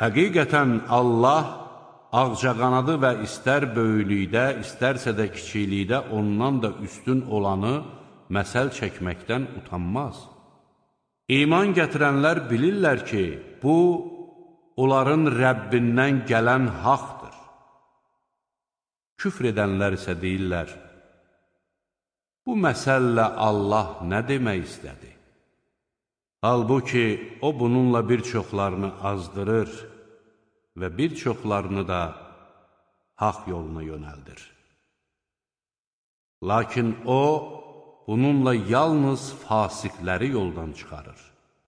Həqiqətən Allah ağcaqanadı və istər böyüklükdə, istərsə də kiçiklikdə ondan da üstün olanı məsəl çəkməkdən utanmaz. İman gətirənlər bilirlər ki, bu, onların Rəbbindən gələn haqdır. Küfr edənlər isə deyirlər, bu məsəllə Allah nə demək istədi? Halbuki, o bununla bir çoxlarını azdırır və bir çoxlarını da haqq yoluna yönəldir. Lakin o, bununla yalnız fasiqləri yoldan çıxarır.